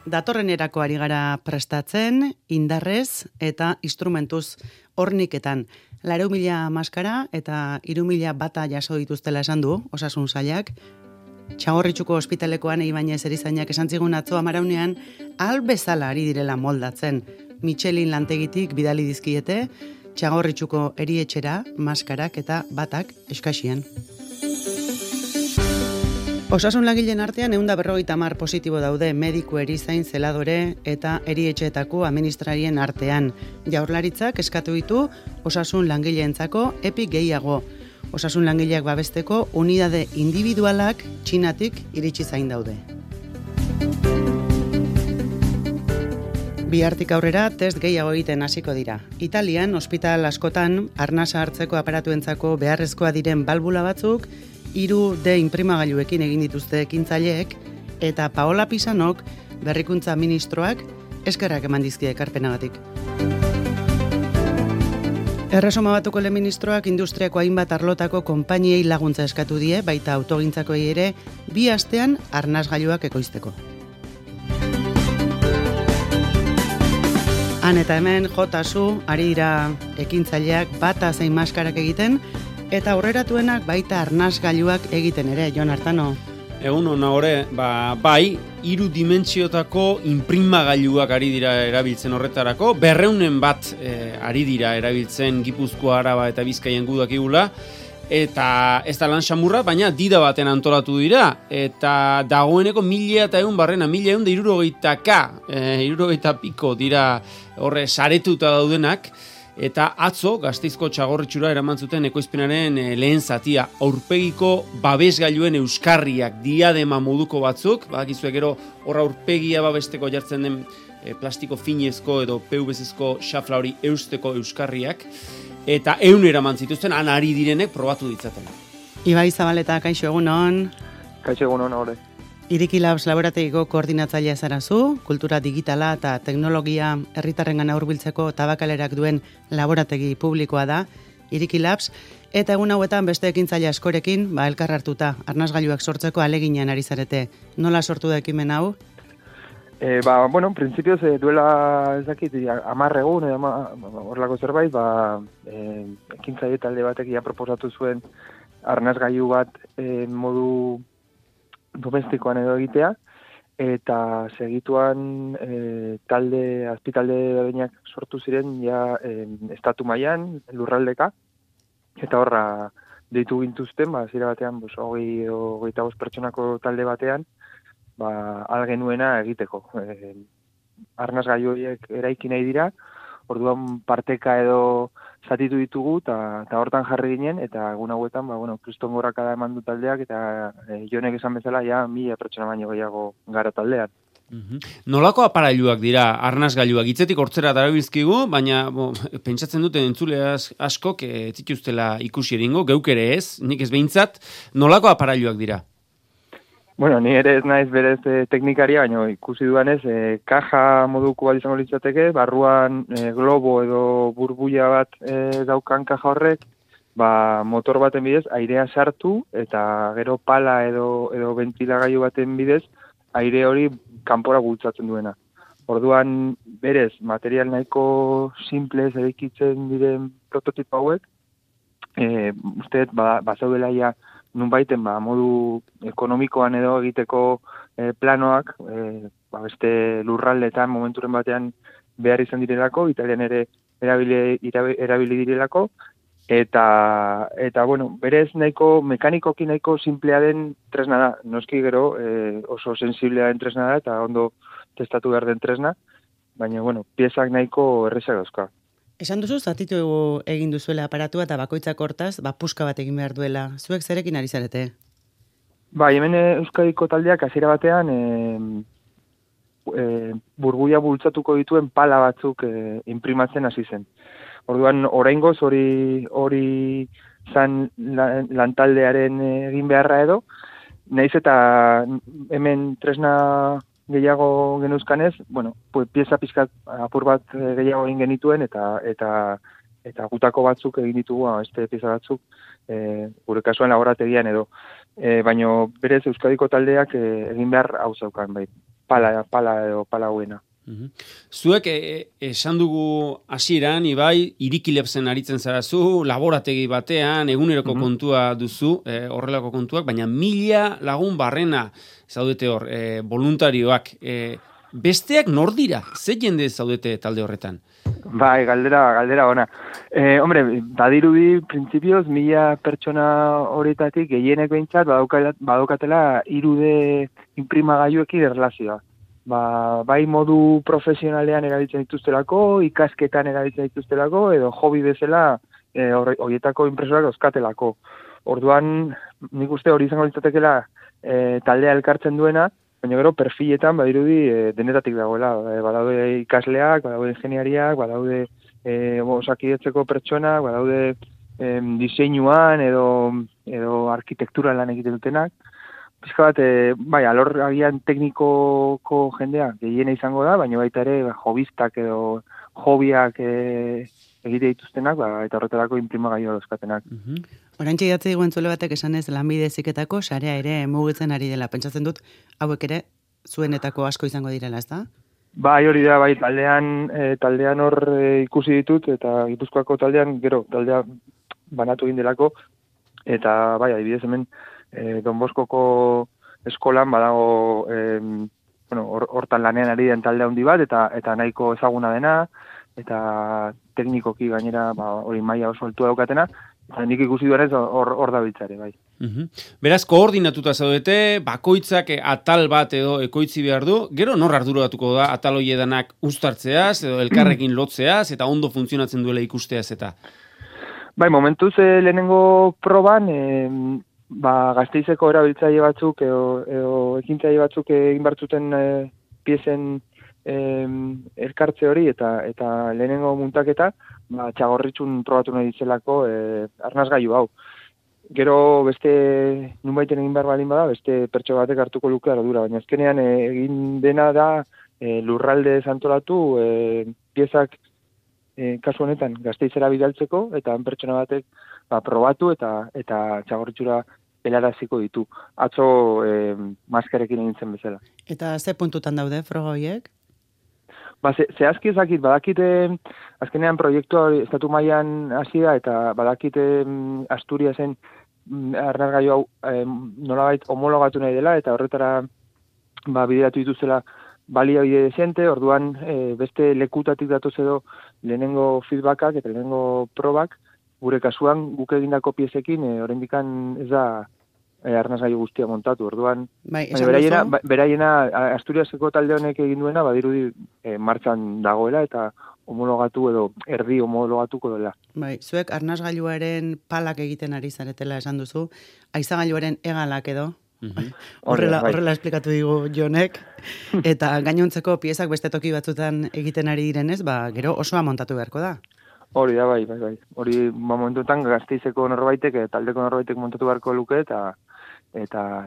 Datorrenerako ari gara prestatzen, indarrez eta instrumentuz horniketan. 4.000 maskara eta 3.000 bata jaso dituztela esan du, Osasun Sailak. Txagorritxuko ospitalekoan Ibañez erizainak esan zigun atzo amaraunean, bezala ari direla moldatzen. Michelin lantegitik bidali dizkiete, Txagorritxuko erietxera, maskarak eta batak eskaxien. Osasun langileen artean 150 positibo daude mediku, erizain, zeladore eta erietxeetako administrarien artean. Jaurlaritzak eskatu ditu osasun langileentzako epi gehiago. Osasun langileak babesteko unidade individualak Txinatik iritsi zain daude. Bihartik aurrera test gehiago egiten hasiko dira. Italian, ospital askotan, arnasa hartzeko aparatuentzako beharrezkoa diren balbula batzuk 3D inprimagailuekin egin dituzte ekintzaileek eta Paola Pisanok, berrikuntza ministroak, eskerrak eman dizkie ekarpenagatik. Erresuma Batuko lehen ministroak industriako hainbat arlotako konpainiei laguntza eskatu die, baita autogintzakoei ere, 2 astean arnasgailuak ekoizteko. Han eta hemen jotasu ari dira ekintzaileak bata zein maskarak egiten, eta aurreratuenak baita arnasgailuak egiten ere, Jon Artano. Egun hona hore, bai, 3 dimentsiotako inprimagailuak ari dira erabiltzen horretarako, 200 bat ari dira erabiltzen Gipuzkoa, Araba eta Bizkaian gudakigula, eta ez da lan xamurra, baina dida baten antolatu dira, eta dagoeneko 1.100 barrena, 1.160 piko dira horre saretuta daudenak, eta atzo Gasteizko Txagorritxura eraman zuten ekoizpenaren lehen zatia, aurpegiko babesgailuen euskarriak, diadema moduko batzuk, badakizuek gero horra aurpegia babesteko jartzen den plastiko finezko edo PVC-ezko xafla hori eusteko euskarriak, eta 100 eraman zituzten, han ari direnek probatu ditzaten. Ibai Zabaleta, kaixo egunon. Kaixo egunon, hore. Iriki Labs laborategiko koordinatzailea zarazu, kultura digitala eta teknologia herritarrengana hurbiltzeko tabakalerak duen laborategi publikoa da, Iriki Labs, eta egun hauetan beste ekintzaile askorekin, elkar hartuta, arnasgailuak sortzeko aleginean ari zarete. Nola sortu da ekimen hau? Printzipioz duela ez dakit, 10 egun, horrelako zerbait, ekintzaile talde batek proposatu zuen arnasgailu bat modu domestikoan edo egitea, eta segituan azpitalde bereinak sortu ziren estatu mailan lurraldeka, eta horra deitu gintuzten, zira batean, 25 pertsonako talde batean, algenuena egiteko. Arnasgailu horiek eraiki nahi dira, orduan parteka edo zatitu ditugu, eta hortan jarri ginen, eta egun hauetan, kriston gorrakada eman du taldeak, eta Jonek esan bezala, 1.000 pertsona baino gehiago gara taldean. Nolako aparailuak dira arnasgailuak? Hitzetik hortzera darabilzkigu, baina pentsatzen duten entzule askok ez zituztela ikusi eringo, geuk ere ez, nik ez behintzat, nolako aparailuak dira? Ni ere ez naiz berez teknikaria, baina ikusi dudanez, kaja moduko bat izango litzateke, barruan globo edo burbuia bat daukan kaja horrek, motor baten bidez airea sartu, eta gero pala edo ventilagailu baten bidez aire hori kanpora bultzatzen duena. Orduan, berez, material nahiko simplez eraikitzen diren prototipo hauek, usteet, bazaudela ja nunbaiten modu ekonomikoan edo egiteko planoak, beste lurraldetan momenturen batean behar izan direlako, Italian ere erabili direlako, eta berez nahiko, mekanikoki nahiko simplea den tresna da. Noski gero oso sensiblea den tresna da, eta ondo testatu behar den tresna, baina, piezak nahiko errezak dauzka. Esan duzu, zatitu egin duzuela aparatua eta bakoitzak hortaz, puska bat egin behar duela. Zuek zerekin ari zarete? Hemen Euskadiko taldeak hasiera batean burbuia bultzatuko dituen pala batzuk inprimatzen hasi zen. Orduan, oraingoz hori zan lantaldearen egin beharra edo, nahiz eta hemen tresna gehiago genuzkanez, pieza pizkat apur bat gehiago egin genituen, eta gutako batzuk egin ditugu, beste pieza batzuk, gure kasuan laborategian edo. Baina berez Euskadiko taldeak egin behar hau zaukan, bai. pala edo pala huena. Zuek esan dugu hasieran Ibai, Irikilepsen aritzen zarazu, laborategi batean, eguneroko kontua duzu, horrelako kontuak, baina 1000 lagun barrena zaudete hor, voluntarioak. Besteak nor dira? Ze jende zaudete talde horretan? Bai, galdera ona. Hombre, badirudi printzipioz 1000 pertsona horietatik gehienek behintzat badaukatela 3D inprimagailuekin erlazioa. Bai modu profesionalean erabiltzen dituztelako, ikasketan erabiltzen dituztelako, edo hobby bezala horietako impresorak euskatelako. Orduan, nik uste hori izango litzatekela taldea elkartzen duena, baina gero perfiletan badirudi denetatik dagoela. Badaude ikasleak, badaude ingeniariak, badaude osakidetzeko pertsonak, badaude diseinuan edo arkitektura lan egiten dutenak. Pizka bat, bai, alor agian teknikoko jendea gehiena izango da, baina baita ere hobistak edo hobiak egite dituztenak, eta horretarako inprimagailu dauzkatenak. Oraintxe idatzi diguen zule batek esanez lanbide heziketako sarea ere mugitzen ari dela. Pentsatzen dut, hauek ere zuenetako asko izango direla, ezta? Bai, hori da, bai, taldean hor ikusi ditut, eta Gipuzkoako taldean, gero, taldea banatu egin delako, eta bai, adibidez hemen, Don Boskoko eskolan badago hortan lanean ari den talde handi bat eta nahiko ezaguna dena eta teknikoki gainera hori maila oso altua daukatena eta nik ikusi duenez hor da biltzare, bai. Beraz, koordinatuta zaudete, bakoitzak atal bat edo ekoitzi behar du, gero nor arduratuko da atal hoiedanak uztartzeaz edo elkarrekin lotzeaz eta ondo funtzionatzen duela ikusteaz eta? Bai, momentuz lehenengo proban Gasteizeko erabiltzaile batzuk edo ekintzaile batzuk egin bartzuten piezen elkartze hori eta lehenengo muntaketa Txagorritxun probatu nahi ditzelako arnasgailu hau. Gero beste nunbaiten egin behar balin bada, beste pertso batek hartuko luke ardura, baina azkenean egin dena da lurralde antolatu piezak kasu honetan Gasteizera bidaltzeko eta pertsona batek probatu eta Txagorritxura helaraziko ditu. Atzo maskarekin egin zen bezala. Eta ze puntutan daude froga horiek? Zehazki ezakit, badakite azkenean proiektua estatu mailan hasi da eta badakite Asturiasen arnasgailu hau nolabait homologatu nahi dela eta horretara bideratu dituzela baliabide dezente, orduan beste lekutatik datoz edo lehenengo feedbackak eta lehenengo probak, gure kasuan guk egindako piezekin oraindikan ez da arnasgailu guztia montatu. Orduan, beraiena Asturiaseko talde honek egin duena badirudi martxan dagoela eta homologatu edo erdi homologatuko dela. Bai, zuek arnasgailuaren palak egiten ari zaretela esan duzu, haizagailuaren hegalak edo? Horrela esplikatu digu Jonek, eta gainontzeko piezak beste toki batzutan egiten ari direnez, gero osoa montatu beharko da. Hori da, bai. Hori momentuetan Gasteizeko norbaitek, taldeko norbaitek montatu beharko luke eta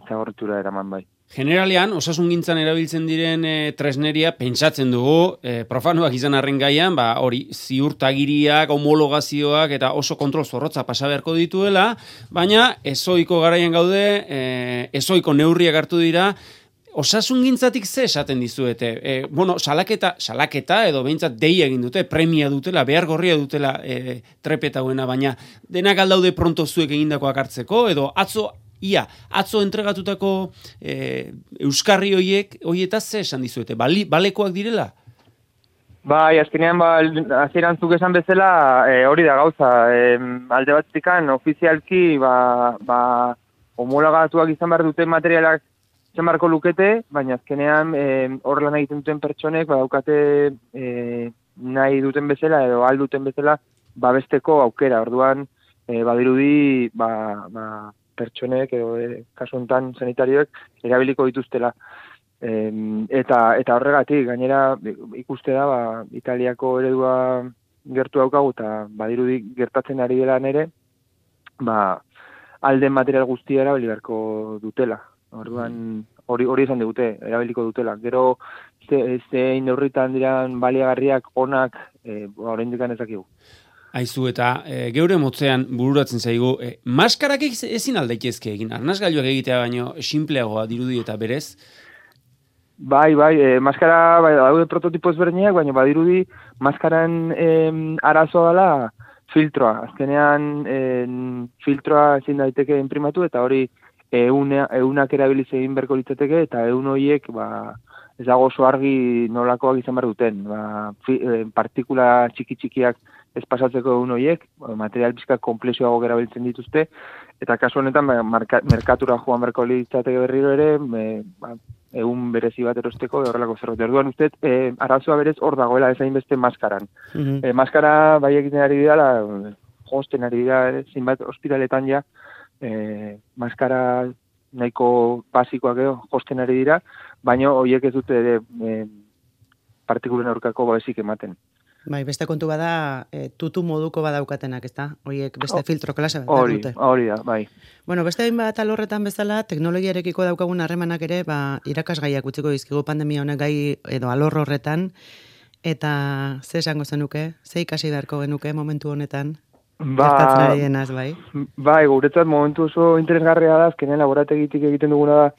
Txagorritxura eraman bai. Generalean, osasungintzan erabiltzen diren tresneria pentsatzen dugu, profanoak izan arren gaian, hori ziurtagiriak, homologazioak eta oso kontrol zorrotza pasa beharko dituela, baina ezoiko garaian gaude, ezoiko neurriak hartu dira, osasungintzatik ze esaten dizuete? Salaketa edo behintzat deia egin dute, premia dutela, behar gorria dutela trepeta huena, baina denak aldaude pronto zuek egindakoak hartzeko, edo atzo entregatutako euskarri hoietaz ze esan dizuete? Balekoak direla? Bai, azkenean hasieran zuk esan bezala hori da gauza. Alde batzikan ofizialki homologatuak izan behar duten materialak izan beharko lukete, baina azkenean hor lan egiten duten pertsonek badaukate nahi duten bezala edo alduten bezala babesteko aukera. Orduan badirudi pertsonek edo kasu honetan sanitarioek erabiliko dituztela. Eta horregatik, gainera ikuste da, Italiako eredua gertu daukagu eta badirudi gertatzen ari dela nere, alden material guztia erabili beharko dutela. Orduan hori izan digute, erabiliko dutela. Gero zein neurritan diran baliagarriak onak oraindik ez dakigu. Aizu eta geure motzean bururatzen zaigu, maskarak ezin aldaitezke egin, arnasgailuak egitea baino sinpleagoa dirudi eta berez? Bai, maskara, daude prototipo ezberdinak, baina badirudi maskaran arazoa dela filtroa. Azkenean filtroa ezin daiteke inprimatu eta hori eunak erabiliz egin berko litzateke eta eun horiek ez dago oso argi nolakoak izan behar duten. Partikula txiki-txikiak ez pasatzeko eun horiek, material pixka komplexuago erabiltzen dituzte, eta kasu honetan merkatura joan berko litzateke berriro ere, egun berezi bat erosteko horrelako zerbait. Orduan usteet, arazoa berez hor dagoela ezain beste maskaran. Maskara bai egiten ari dira, josten ari dira, zinbat ospitaletan ja, maskara nahiko basikoak edo josten ari dira, baina horiek ez dute ere partikulen aurkako babesik ematen. Bai, beste kontu bada, tutu moduko badaukatenak, ezta? Horiek beste filtro klase bat dute. Hori da, bai. Bueno, beste hainbat alorretan bezala, teknologiarekiko daukagun harremanak ere, irakasgaiak utziko dizkigu pandemia honek gai edo alor horretan, eta ze esango zenuke, ze ikasi beharko genuke momentu honetan? Gertatzen ari denaz, bai? Bai, guretzat momentu oso interesgarria da, azkenean laborategitik egiten duguna da,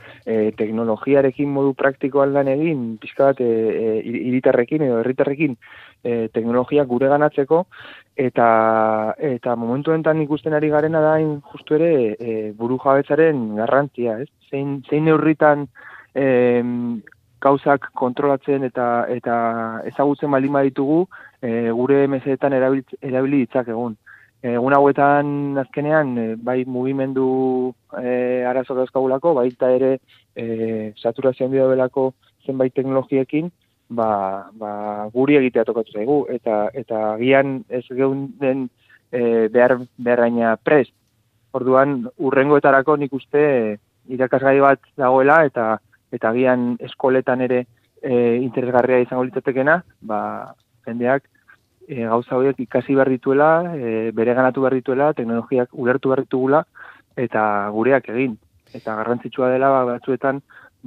teknologiarekin modu praktikoan lan egin, pixka bat hiritarrekin edo herritarrekin teknologia gure ganatzeko, eta momentu honetan ikusten ari garena da, justu ere, buru jabetzaren garrantzia, ez? Zein neurritan gauzak kontrolatzen eta ezagutzen baldin baditugu, gure mesedetan erabili ditzakegun. Egun hauetan azkenean, bai mugimendu arazo dauzkagulako, baita ere saturazio handia belako zenbait teknologiekin, guri egitea tokatu zaigu, eta gian ez geunden beharraina prest. Orduan, urrengoetarako nik uste irakasgai bat dagoela, eta gian eskoletan ere interesgarria izango litzatekena, jendeak gauza horiek ikasi behar dituela, bereganatu behar dituela, teknologiak ulertu behar ditugula, eta gureak egin. Eta garrantzitsua dela batzuetan,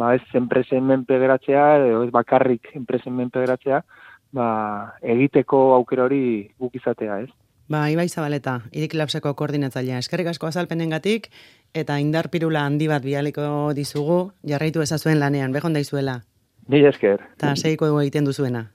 ez enpresen menpe geratzea, edo ez bakarrik enpresen menpe geratzea, egiteko aukera hori guk izatea, ez? Ibai Zabaleta, Irik Labseko koordinatzailea. Eskerrik asko azalpenengatik eta indar pirula handi bat bialiko dizugu, jarraitu ezazuen lanean, behon daizuela. Mila esker. Eta segiko egiten duzuena.